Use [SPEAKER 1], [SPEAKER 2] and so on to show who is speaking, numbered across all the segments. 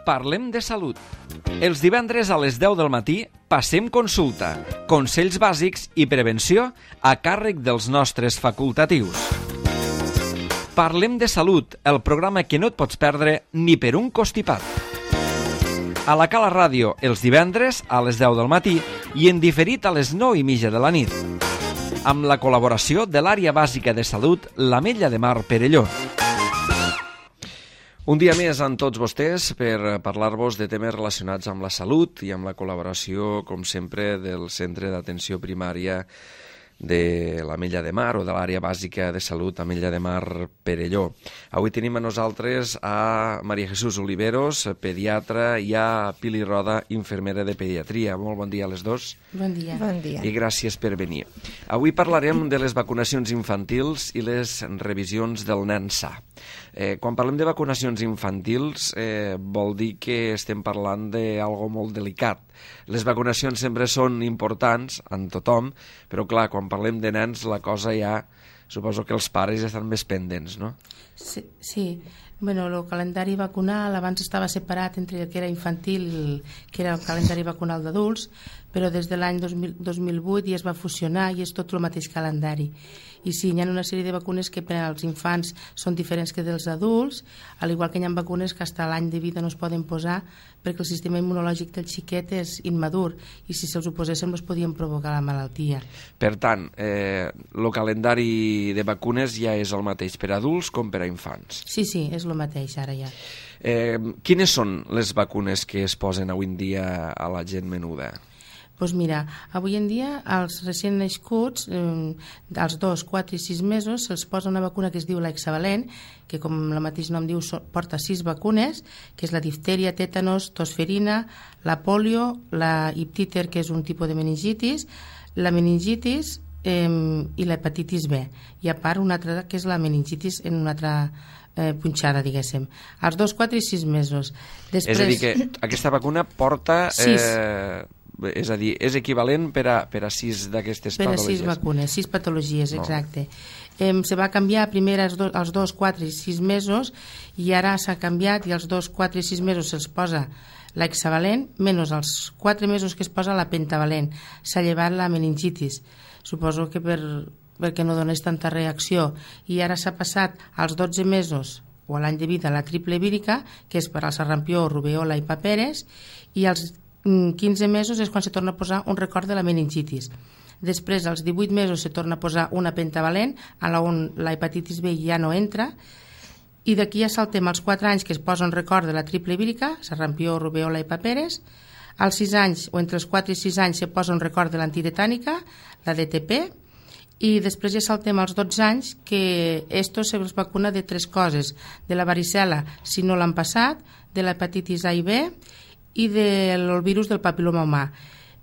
[SPEAKER 1] Parlem de salut. Els divendres a les 10 del matí passem consulta, consells bàsics i prevenció a càrrec dels nostres facultatius. Parlem de salut, el programa que no et pots perdre ni per un costipat. A la Cala Ràdio, els divendres a les 10 del matí i en diferit a les 9:30 de la nit. Amb la col·laboració de l'Àrea Bàsica de Salut, l'Ametlla de Mar Perelló. Un dia més amb tots vostès per parlar-vos de temes relacionats amb la salut i amb la col·laboració, com sempre, del Centre d'Atenció Primària de l'Ametlla de Mar o de l'Àrea Bàsica de Salut Ametlla de Mar Perelló. Avui tenim a nosaltres a Maria Jesús Oliveros, pediatra, i a Pili Roda, infermera de pediatria. Molt bon dia a les dos.
[SPEAKER 2] Bon dia.
[SPEAKER 3] Bon dia.
[SPEAKER 1] I gràcies per venir. Avui parlarem de les vacunacions infantils i les revisions del nen sa. Quan parlem de vacunacions infantils vol dir que estem parlant d'algo molt delicat. Les vacunacions sempre són importants en tothom, però clar, quan parlem de nens la cosa ja, suposo que els pares ja estan més pendents, no?
[SPEAKER 2] Sí. Bueno, el calendari vacunal abans estava separat entre el que era infantil, que era el calendari vacunal d'adults, però des de l'any 2008 ja es va fusionar i és tot el mateix calendari. I sí, hi ha una sèrie de vacunes que per als infants són diferents que dels adults, al igual que hi ha vacunes que fins a l'any de vida no es poden posar perquè el sistema immunològic del xiquet és immadur i si se'ls ho poséssim els podien provocar la malaltia.
[SPEAKER 1] Per tant, el calendari de vacunes ja és el mateix per a adults com per a infants.
[SPEAKER 2] Sí, és el mateix ara ja.
[SPEAKER 1] Quines són les vacunes que es posen avui en dia a la gent menuda?
[SPEAKER 2] Doncs mira, avui en dia als recent nascuts, als 2, 4 i 6 mesos, se'ls posa una vacuna que es diu l'hexavalent, que com el mateix nom diu porta 6 vacunes, que és la diftèria, tètanos, tosferina, la polio, la iptíter, que és un tipus de meningitis, la meningitis i l'hepatitis B. I a part una altra que és la meningitis en una altra punxada, diguéssim. Als 2, 4 i 6 mesos. Després...
[SPEAKER 1] És a dir, que aquesta vacuna porta...
[SPEAKER 2] 6.
[SPEAKER 1] És a dir, és equivalent per a 6 d'aquestes patologies.
[SPEAKER 2] Per a 6 vacunes, 6 patologies, exacte. Se va canviar primer als 2, 4 i 6 mesos i ara s'ha canviat i als 2, 4 i 6 mesos se'ls posa l'hexavalent, menys als 4 mesos que es posa la pentavalent. S'ha llevat la meningitis. Suposo que perquè no donés tanta reacció. I ara s'ha passat als 12 mesos o a l'any de vida la triple vírica, que és per al sarampió, rubèola i paperes, i als 15 mesos és quan se torna a posar un record de la meningitis. Després, als 18 mesos, se torna a posar una pentavalent, on la hepatitis B ja no entra, i d'aquí ja saltem als 4 anys que es posa un record de la triple vírica, sarampió, rubèola i paperes. Als 6 anys, o entre els 4 i 6 anys, se posa un record de l'antitetànica, la DTP, i després ja saltem als 12 anys que esto se vacuna de 3 coses, de la varicel·la, si no l'han passat, de l'hepatitis A i B, i del virus del papiloma humà.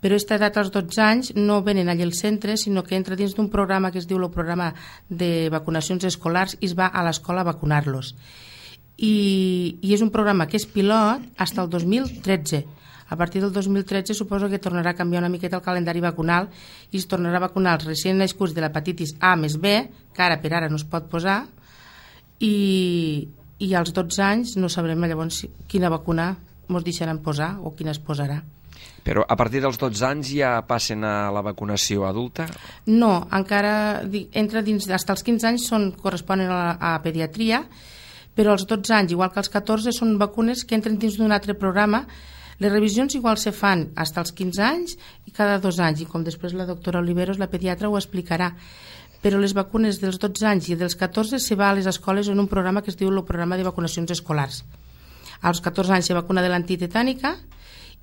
[SPEAKER 2] Però aquesta edat als 12 anys no venen allà al centre, sinó que entra dins d'un programa que es diu el programa de vacunacions escolars i es va a l'escola a vacunar-los. I és un programa que és pilot fins al 2013. A partir del 2013 suposo que tornarà a canviar una miqueta el calendari vacunal i es tornarà a vacunar els recent nascuts de l'hepatitis A més B, que ara per ara no es pot posar, i als 12 anys no sabrem llavors quina vacuna ens deixaran posar o quina es posarà.
[SPEAKER 1] Però a partir dels 12 anys ja passen a la vacunació adulta?
[SPEAKER 2] No, encara entra dins, fins als 15 anys corresponen a pediatria, però als 12 anys, igual que als 14, són vacunes que entren dins d'un altre programa. Les revisions igual se fan fins als 15 anys i cada 2 anys, i com després la doctora Oliveros, la pediatra, ho explicarà. Però les vacunes dels 12 anys i dels 14 se va a les escoles en un programa que es diu el programa de vacunacions escolars. Als 14 anys se vacuna de l'antitetànica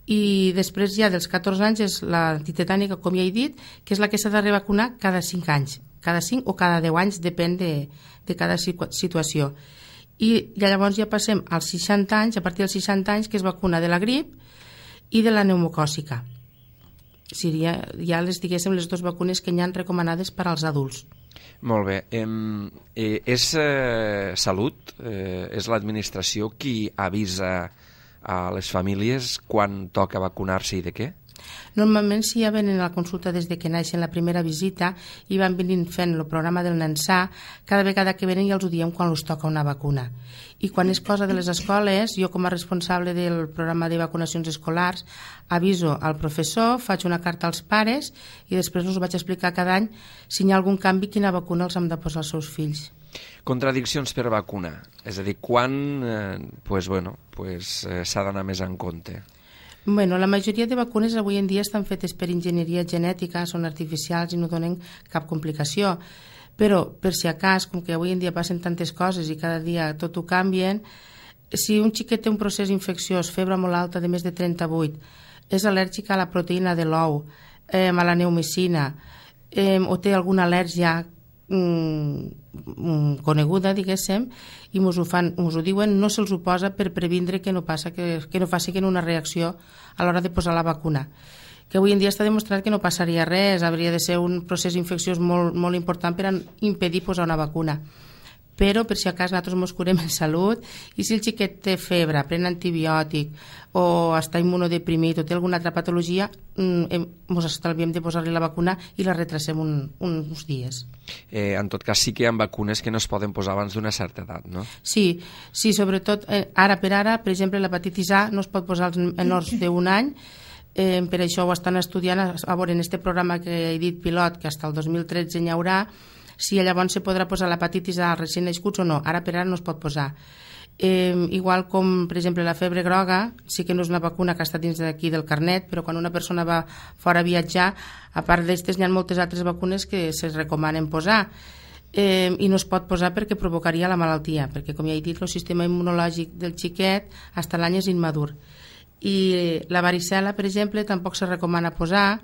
[SPEAKER 2] i després ja dels 14 anys és l'antitetànica, com ja he dit, que és la que s'ha de revacunar cada 5 anys, cada 5 o cada 10 anys, depèn de cada situació. I llavors ja passem als 60 anys, a partir dels 60 anys, que es vacuna de la grip i de la pneumocòcica. Seria ja diguéssim les 2 vacunes que hi ha recomanades per als adults.
[SPEAKER 1] Molt bé. És Salut, és l'administració qui avisa a les famílies quan toca vacunar-se i de què?
[SPEAKER 2] Normalment si ja venen a la consulta des de que naixen la primera visita i van venint fent el programa del nen sa, cada vegada que venen ja els ho diem quan els toca una vacuna. I quan és cosa de les escoles, jo com a responsable del programa de vacunacions escolars aviso al professor, faig una carta als pares i després us vaig explicar cada any si hi ha algun canvi quina vacuna els hem de posar als seus fills.
[SPEAKER 1] Contradiccions per vacuna, és a dir, quan s'ha d'anar més en compte?
[SPEAKER 2] Bueno, la majoria de vacunes avui en dia estan fetes per enginyeria genètica, són artificials i no donen cap complicació. Però, per si a cas, com que avui en dia passen tantes coses i cada dia tot ho canvien, si un xiquet té un procés infecciós, febre molt alta de més de 38, és al·lèrgic a la proteïna de l'ou, a la neomicina, o té alguna al·lèrgia coneguda, diguéssim, i mos ho diuen, no se'ls ho posa per previndre que no faci una reacció a l'hora de posar la vacuna. Que avui en dia està demostrat que no passaria res, hauria de ser un procés infecciós molt, molt important per impedir posar una vacuna. Però per si a cas nosaltres ens curem en salut i si el xiquet té febre, pren antibiòtic o està immunodeprimit o té alguna altra patologia, ens estalviem de posar-li la vacuna i la retrasem uns dies.
[SPEAKER 1] En tot cas sí que hi ha vacunes que no es poden posar abans d'una certa edat, no?
[SPEAKER 2] Sí, sobretot ara, per exemple, l'hepatitis A no es pot posar als menors d'un any. Per això ho estan estudiant a veure en este programa que he dit pilot, que fins al 2013 n'hi haurà, si llavors se podrà posar l'hepatitis A als recent nascuts o no. Ara per ara no es pot posar. Igual com, per exemple, la febre groga, sí que no és una vacuna que està dins d'aquí del carnet, però quan una persona va fora a viatjar, a part d'estes n'hi ha moltes altres vacunes que se recomanen posar. I no es pot posar perquè provocaria la malaltia, perquè, com ja he dit, el sistema immunològic del xiquet fins l'any és immadur. I la varicel·la, per exemple, tampoc se recomana posar.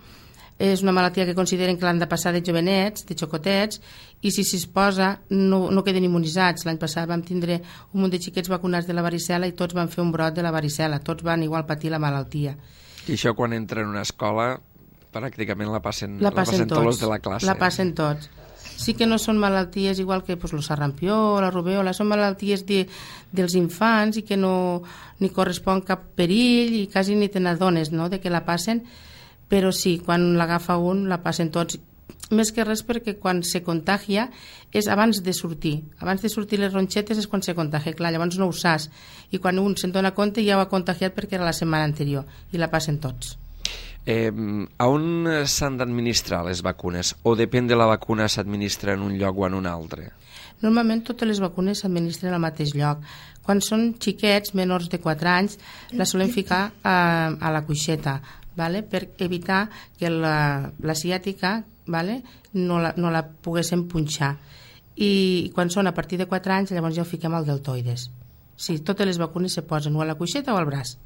[SPEAKER 2] És una malaltia que consideren que l'han de passar de jovenets, de xocotets, i si es posa no queden immunitzats. L'any passat vam tindre un munt de xiquets vacunats de la varicel·la i tots van fer un brot de la varicel·la, tots van igual patir la malaltia.
[SPEAKER 1] I això quan entra en una escola pràcticament la passen tots els de la classe.
[SPEAKER 2] La passen tots. Sí que no són malalties igual que el sarampió, la rubèola, són malalties dels infants i que no ni correspon cap perill i quasi ni te n'adones, no?, de que la passen. Però sí, quan l'agafa un, la passen tots. Més que res perquè quan se contagia és abans de sortir. Abans de sortir les ronxetes és quan se contagia. Clar, llavors no ho saps. I quan un se'n dona compte ja ho ha contagiat perquè era la setmana anterior. I la passen tots.
[SPEAKER 1] A on s'han d'administrar les vacunes? O depèn de la vacuna s'administra en un lloc o en un altre?
[SPEAKER 2] Normalment totes les vacunes s'administren al mateix lloc. Quan són xiquets, menors de 4 anys, la solen ficar a la cuixeta, per evitar que la ciàtica no la poguéssim punxar. I quan són a partir de 4 anys, llavors ja ho fiquem al deltoides. Sí, totes les vacunes se posen o a la cuixeta o al braç.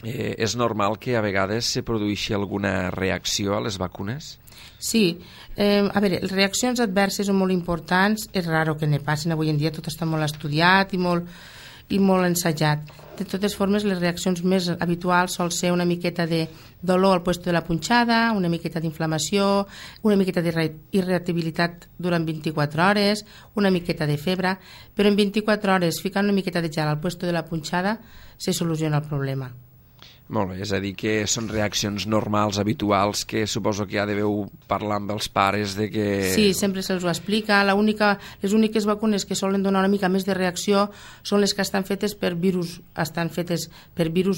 [SPEAKER 1] És normal que a vegades se produeixi alguna reacció a les vacunes?
[SPEAKER 2] Sí, a veure, les reaccions adverses són molt importants, és raro que ne passin, avui en dia tot està molt estudiat i molt ensajat. De totes formes, les reaccions més habituals sol ser una miqueta de dolor al lloc de la punxada, una miqueta d'inflamació, una miqueta d'irritabilitat durant 24 hores, una miqueta de febre, però en 24 hores, ficant una miqueta de gel al lloc de la punxada, se soluciona el problema.
[SPEAKER 1] Molt bé, és a dir que són reaccions normals, habituals, que suposo que ja deveu parlar amb els pares de que...
[SPEAKER 2] Sí, sempre se'ls ho explica. Les úniques vacunes que solen donar una mica més de reacció són les que estan fetes per virus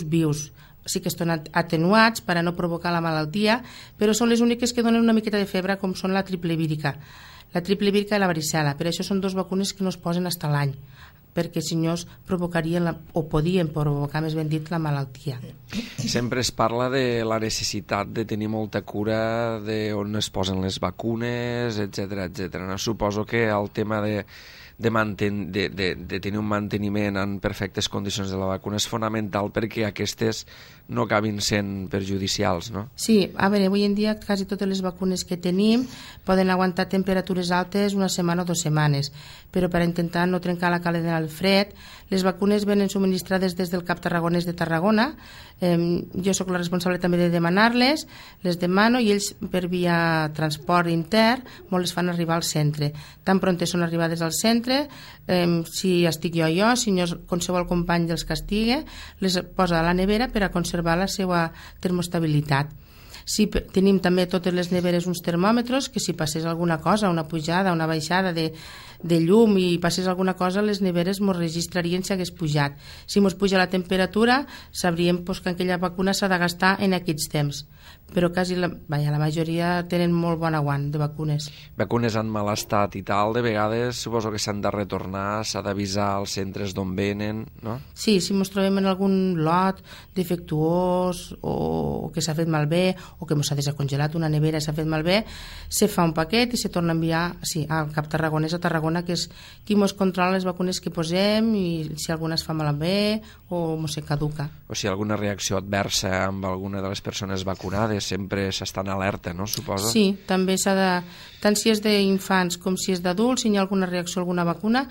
[SPEAKER 2] vius. Sí que estan atenuats per a no provocar la malaltia, però són les úniques que donen una miqueta de febre, com són la triple vírica. La triple vírica i la varicel·la. Per això són 2 vacunes que no es posen fins l'any, perquè si no provocarien o podien provocar, més ben dit, la malaltia.
[SPEAKER 1] Sempre es parla de la necessitat de tenir molta cura d'on es posen les vacunes, etc. No? Suposo que el tema de tenir un manteniment en perfectes condicions de la vacuna és fonamental perquè aquestes no acabin sent perjudicials, no?
[SPEAKER 2] Sí, a veure, avui en dia quasi totes les vacunes que tenim poden aguantar temperatures altes una setmana o 2 setmanes, però per intentar no trencar la cadena del fred, les vacunes venen subministrades des del CAP Tarragonès de Tarragona. Jo sóc la responsable també de demanar-les, les demano i ells per via transport intern molt les fan arribar al centre. Tan prontes són arribades al centre, si estic jo, si no qualsevol company dels que estigui, les posa a la nevera per a conservar la seva termostabilitat. Tenim també totes les neveres uns termòmetres, que si passés alguna cosa, una pujada, una baixada de llum i passés alguna cosa, les neveres ens registrarien si hagués pujat. Si ens puja la temperatura, sabríem que aquella vacuna s'ha de gastar en aquests temps. Però quasi la majoria tenen molt bon aguant de vacunes.
[SPEAKER 1] Vacunes en mal estat i tal, de vegades suposo que s'han de retornar, s'ha d'avisar als centres d'on venen, no?
[SPEAKER 2] Sí, si ens trobem en algun lot defectuós o que s'ha fet malbé o que ens ha descongelat una nevera i s'ha fet malbé, se fa un paquet i se torna a enviar al CAP tarragonès a Tarragona, que és qui ens controla les vacunes que posem i si alguna es fa malbé o se caduca.
[SPEAKER 1] O si alguna reacció adversa amb alguna de les persones vacunades, sempre s'està en alerta, no? Suposo?
[SPEAKER 2] Sí, també s'ha de, tant si és d'infants com si és d'adults, si hi ha alguna reacció a alguna vacuna,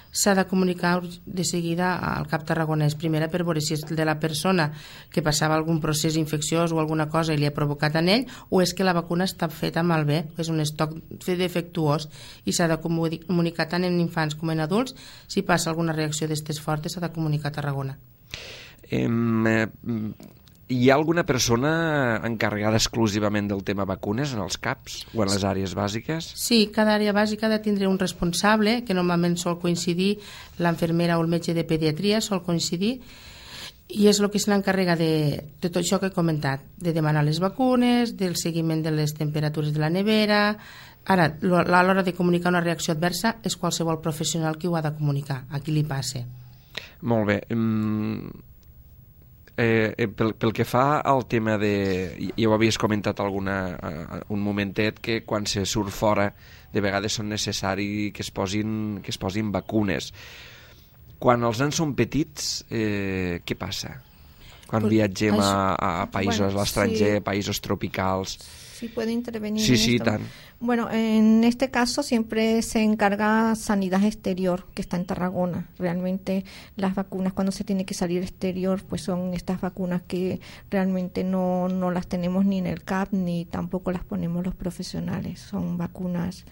[SPEAKER 2] s'ha de comunicar de seguida al CAP tarragonès, primera per veure si és de la persona que passava algun procés infecciós o alguna cosa i li ha provocat en ell, o és que la vacuna està feta malbé, és un estoc defectuós, i s'ha de comunicar tant en infants com en adults. Si passa alguna reacció d'estes fortes s'ha de comunicar a Tarragona.
[SPEAKER 1] Hi ha alguna persona encarregada exclusivament del tema vacunes en els CAPs o en les àrees bàsiques?
[SPEAKER 2] Sí, cada àrea bàsica ha de tindre un responsable, que normalment sol coincidir l'infermera o el metge de pediatria, sol coincidir, i és el que se n'encarrega de tot això que he comentat, de demanar les vacunes, del seguiment de les temperatures de la nevera. Ara, a l'hora de comunicar una reacció adversa és qualsevol professional qui ho ha de comunicar, a qui li passe.
[SPEAKER 1] Molt bé. Pel que fa al tema de... Ja ho havies comentat un momentet, que quan se surt fora de vegades són necessari que es posin vacunes. Quan els nens són petits, què passa? Quan viatgem a països, a l'estranger, països tropicals...
[SPEAKER 3] Sí, puede intervenir.
[SPEAKER 1] Sí,
[SPEAKER 3] en
[SPEAKER 1] sí,
[SPEAKER 3] esto.
[SPEAKER 1] tant.
[SPEAKER 3] Bueno, en este caso siempre se encarga Sanidad Exterior, que está en Tarragona. Realmente las vacunas cuando se tiene que salir exterior, pues son estas vacunas que realmente no las tenemos ni en el CAP ni tampoco las ponemos los profesionales. Son vacunas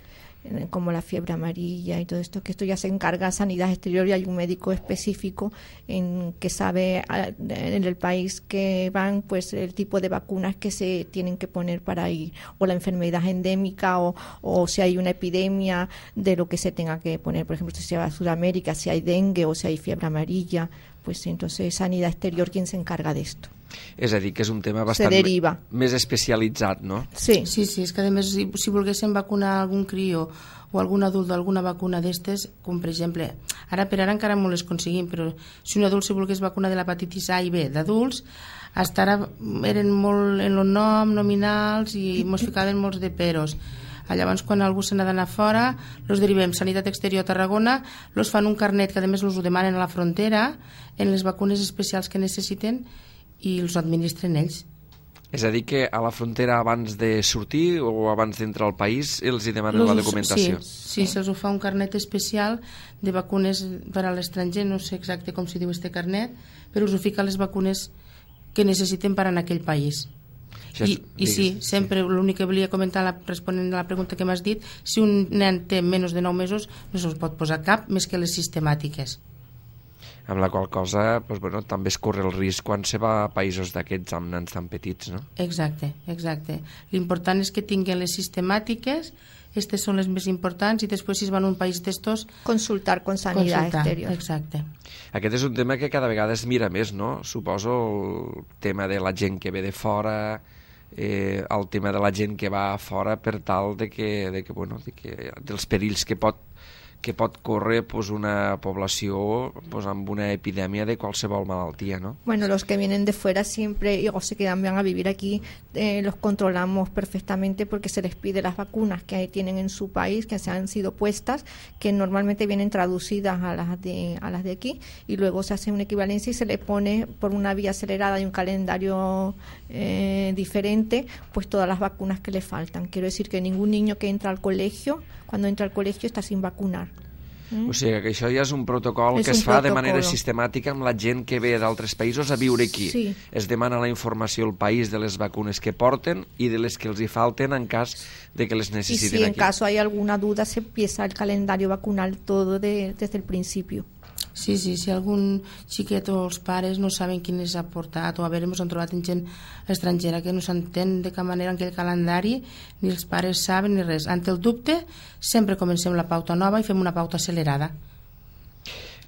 [SPEAKER 3] como la fiebre amarilla y todo esto, que esto ya se encarga Sanidad Exterior y hay un médico específico que sabe en el país que van, pues el tipo de vacunas que se tienen que poner para ir, o la enfermedad endémica o si hay una epidemia de lo que se tenga que poner, por ejemplo, si se va a Sudamérica, si hay dengue o si hay fiebre amarilla, pues entonces Sanidad Exterior quien se encarga de esto.
[SPEAKER 1] És a dir, que és un tema bastant més especialitzat, no?
[SPEAKER 2] Sí, és que a més si volguéssim vacunar algun crió o algun adult d'alguna vacuna d'estes, com per exemple, ara encara no les aconseguim, però si un adult si volgués vacunar de l'hepatitis A i B d'adults, hasta ara eren molt en el nom, nominals, i ens ficaven molts de peros. Llavors, quan algú se n'ha d'anar fora, els derivem Sanitat Exterior a Tarragona, els fan un carnet que a més els ho demanen a la frontera, en les vacunes especials que necessiten, i els administren ells.
[SPEAKER 1] És a dir, que a la frontera abans de sortir o abans d'entrar al país els hi demanen la documentació?
[SPEAKER 2] Sí, se'ls ho fa un carnet especial de vacunes per a l'estranger, no sé exacte com s'hi diu este carnet, però us ho fica les vacunes que necessiten per anar a aquell país. I sí, sempre l'únic que volia comentar responent a la pregunta que m'has dit, si un nen té menys de 9 mesos no se'ls pot posar cap més que les sistemàtiques.
[SPEAKER 1] Amb la qual cosa també es corre el risc quan se va a països d'aquests amb nens tan petits, no?
[SPEAKER 2] Exacte. L'important és que tinguin les sistemàtiques, aquestes són les més importants, i després si es van a un país d'estos...
[SPEAKER 3] Consultar con Sanidad Exterior.
[SPEAKER 2] Exacte.
[SPEAKER 1] Aquest és un tema que cada vegada es mira més, no? Suposo el tema de la gent que ve de fora, el tema de la gent que va a fora per tal dels perills que pot córrer una població amb una epidèmia de qualsevol malaltia, ¿no?
[SPEAKER 3] Bueno, los que vienen de fuera siempre o se quedan bien a vivir aquí, los controlamos perfectamente porque se les pide las vacunas que tienen en su país, que se han sido puestas, que normalmente vienen traducidas a las de aquí, y luego se hace una equivalencia y se le pone por una vía acelerada y un calendario diferente, pues todas las vacunas que le faltan. Quiero decir que ningún niño que entra al colegio, cuando entra al colegio, está sin vacunar.
[SPEAKER 1] O sigui que això ja és un protocol que es fa de manera sistemàtica amb la gent que ve d'altres països a viure aquí.
[SPEAKER 3] Sí.
[SPEAKER 1] Es demana la informació al país de les vacunes que porten i de les que els hi falten en cas de que les necessiten aquí.
[SPEAKER 3] Y si en caso hay alguna duda se empieza el calendario vacunal todo desde el principio.
[SPEAKER 2] Sí, si algun xiquet o els pares no saben quin és ha portat, o a veure, ens han trobat gent estrangera que no s'entén de cap manera en aquell calendari, ni els pares saben ni res. Ante el dubte, sempre comencem la pauta nova i fem una pauta accelerada.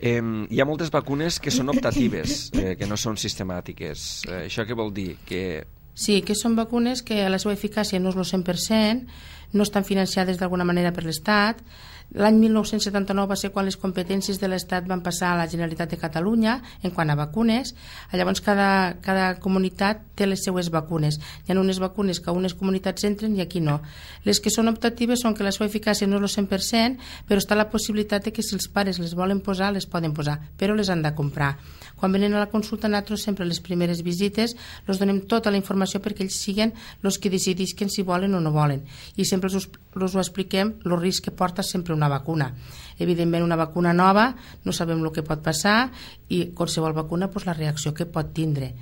[SPEAKER 1] Hi ha moltes vacunes que són optatives, que no són sistemàtiques. Això què vol dir?
[SPEAKER 2] Sí, que són vacunes que la seva eficàcia no és el 100%, no estan financiades d'alguna manera per l'Estat. L'any 1979 va ser quan les competències de l'Estat van passar a la Generalitat de Catalunya en quant a vacunes. Llavors cada comunitat té les seues vacunes. Hi ha unes vacunes que a unes comunitats entren i aquí no. Les que són optatives són que la seva eficàcia no és el 100%, però està la possibilitat de que si els pares les volen posar, les poden posar, però les han de comprar. Quan venen a la consulta, nosaltres sempre les primeres visites els donem tota la informació perquè ells siguin els que decidisquen si volen o no volen. I sempre els ho expliquem, el risc que porta sempre una vacuna. Evidentment, una vacuna nova, no sabem el que pot passar i qualsevol vacuna, doncs, la reacció que pot tindre.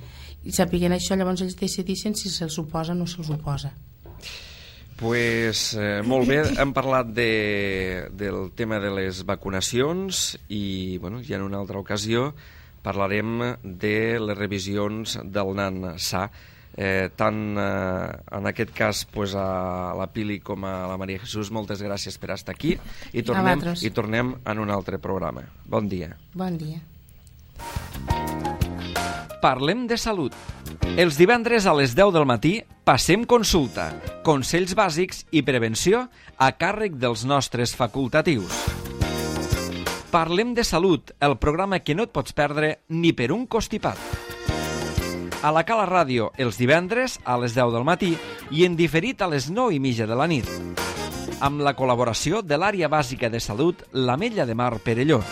[SPEAKER 2] I sapiguent això, llavors ells decideixen si se'ls oposa o no se'ls oposa.
[SPEAKER 1] Pues, molt bé, hem parlat del tema de les vacunacions i ja en una altra ocasió parlarem de les revisions del nan sa. Tant en aquest cas a la Pili com a la Maria Jesús, moltes gràcies per estar aquí i tornem en un altre programa. Bon dia.
[SPEAKER 2] Bon dia.
[SPEAKER 1] Parlem de salut. Els divendres a les 10 del matí passem consulta, consells bàsics i prevenció a càrrec dels nostres facultatius. Parlem de salut, el programa que no et pots perdre ni per un costipat. A la Cala Ràdio, els divendres a les 10 del matí i en diferit a les 9:30 de la nit. Amb la col·laboració de l'Àrea Bàsica de Salut, l'Ametlla de Mar Perelló.